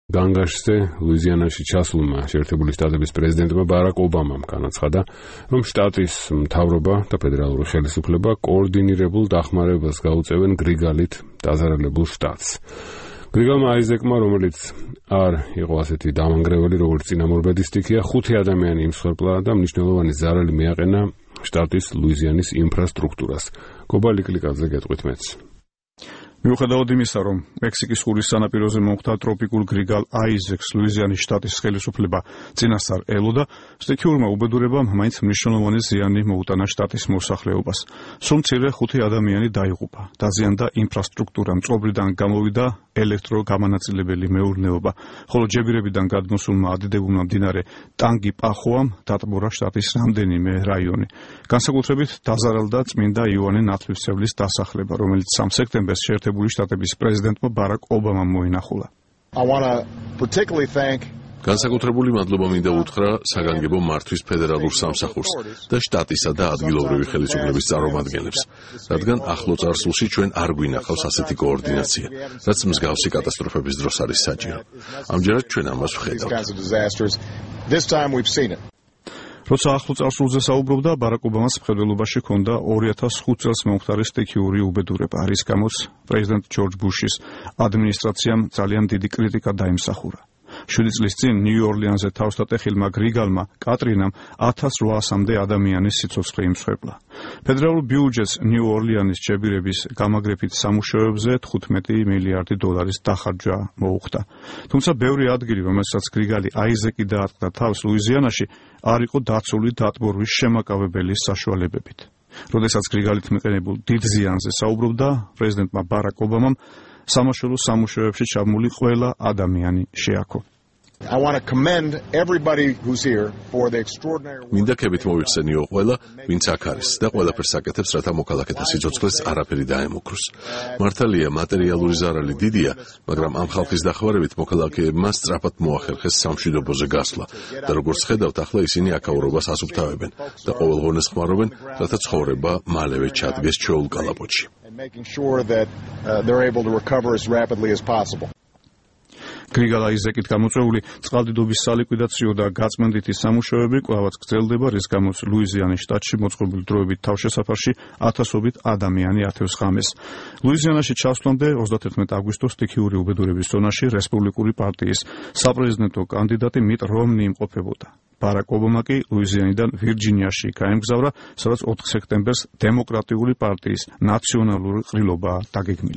განგაშზე ლუიზიანაში ჩასულმა შეერთებული შტატების პრეზიდენტმა ბარაკ ობამამ განაცხადა, რომ შტატის მთავრობა და ფედერალური ხელისუფლება კოორდინირებულ დახმარებას გაუწევენ გრიგალით დაზარალებულ შტატს. გრიგალმა აიზეკმა, რომელიც არ იყო ასეთი დამანგრეველი, როგორც წინამორბედი სტიქია, 5 ადამიანი იმსხვერპლა და მნიშვნელოვანი ზარალი მიაყენა შტატის ლუიზიანის ინფრასტრუქტურას. გობა ლიკლიკაძე გეტყვით მეც. მიუხედავად იმისა, რომ მექსიკის ყურის სანაპიროზე მომხდა ტროპიკულ გრიგალ აიზეკს ლუიზიანის შტატის ხელისუფლება წინასწარ ელოდა, სტიქიურმა უბედურებამ მაინც მნიშვნელოვანი ზიანი მოუტანა შტატის მოსახლეობას. სულ მცირე 5 ადამიანი დაიღუპა, დაზიანდა ინფრასტრუქტურა, მწყობრიდან გამოვიდა ელექტროგამანაწილებელი მეურნეობა, ხოლო ჯებირებიდან გადმოსულმა ადიდებულმა მდინარე ტანგი პახოამ დატბორა შტატის რამდენიმე რაიონი. განსაკუთრებით დაზარალდა წმინდა იოანე ნათლისმცემლის დასახლება, რომელიც 3 სექტემბერს შეერთებული შტატების პრეზიდენტმა ბარაკ ობამამ მოინახულა. განსაკუთრებული მადლობა მინდა უთხრა საგანგებო მართვის ფედერალურ სამსახურს და შტატისა და ადგილობრივი ხელისუფლების წარმომადგენლებს, რადგან ახლო წარსულში ჩვენ არ გვინახავს ასეთი კოორდინაცია, რაც მსგავსი კატასტროფების დროს არის საჭირო. ამჯერად ჩვენ ამას ვხედავთ. როცა ახლო წარსულზე საუბრობდა, ბარაკ ობამას მხედველობაში ჰქონდა 2005 წელს მომხდარი სტიქიური უბედურება, რის გამოც პრეზიდენტ ჯორჯ ბუშის ადმინისტრაციამ ძალიან დიდი კრიტიკა დაიმსახურა. 7 წლის წინ ნიუ-ორლიანზე თავს დატეხილმა გრიგალმა კატრინამ 1800-მდე ადამიანის სიცოცხლე იმსხვერპლა. ფედერალურ ბიუჯეტს ნიუ-ორლიანის ჯებირების გამაგრებით სამუშაოებზე 15 მილიარდი დოლარის დახარჯვა მოუხდა. თუმცა ბევრი ადგილი, რომელსაც გრიგალი აიზეკი დაატყდა თავს ლუიზიანაში, არ იყო დაცული დატბორვის შემაკავებელი საშუალებებით. როდესაც გრიგალით მიყენებულ დიდ ზიანზე საუბრობდა, პრეზიდენტმა ბარაკ ობამამ სამაშველო სამუშაოებში ჩაბმული ყველა ადამიანი შეაქო. მინდა ქებით მოვიხსენიო ყველა, ვინც აქ არის და ყველაფერს აკეთებს, რათა მოქალაქეთა სიცოცხლეს არაფერი დაემუქროს. მართალია, მატერიალური ზარალი დიდია, მაგრამ ამ ხალხის დახმარებით მოქალაქეებმა სწრაფად მოახერხეს სამშვიდობოზე გასვლა და როგორც ხედავთ, ახლა ისინი აქაურობას ასუფთავებენ და ყოველღონეს ხმარობენ, რათა ცხოვრება მალევე ჩადგეს ჩვეულ კალაპოტში. გრიგალ აიზეკით გამოწვეული წყალდიდობის სალიკვიდაციო და გაწმენდითი სამუშაოები კვლავაც გრძელდება, რის გამოც ლუიზიანის შტატში მოწყობილ დროებით თავშესაფარში ათასობით ადამიანი ათევს ღამეს. ლუიზიანაში ჩასვლამდე 31 აგვისტოს სტიქიური უბედურების ზონაში რესპუბლიკური პარტიის საპრეზიდენტო კანდიდატი მიტ რომნი იმყოფებოდა. ბარაკ ობამა კი ლუიზიანიდან ვირჯინიაში გაემგზავრა, სადაც 4 სექტემბერს დემოკრატიული პარტიის ნაციონალური ყრილობაა დაგეგმილი.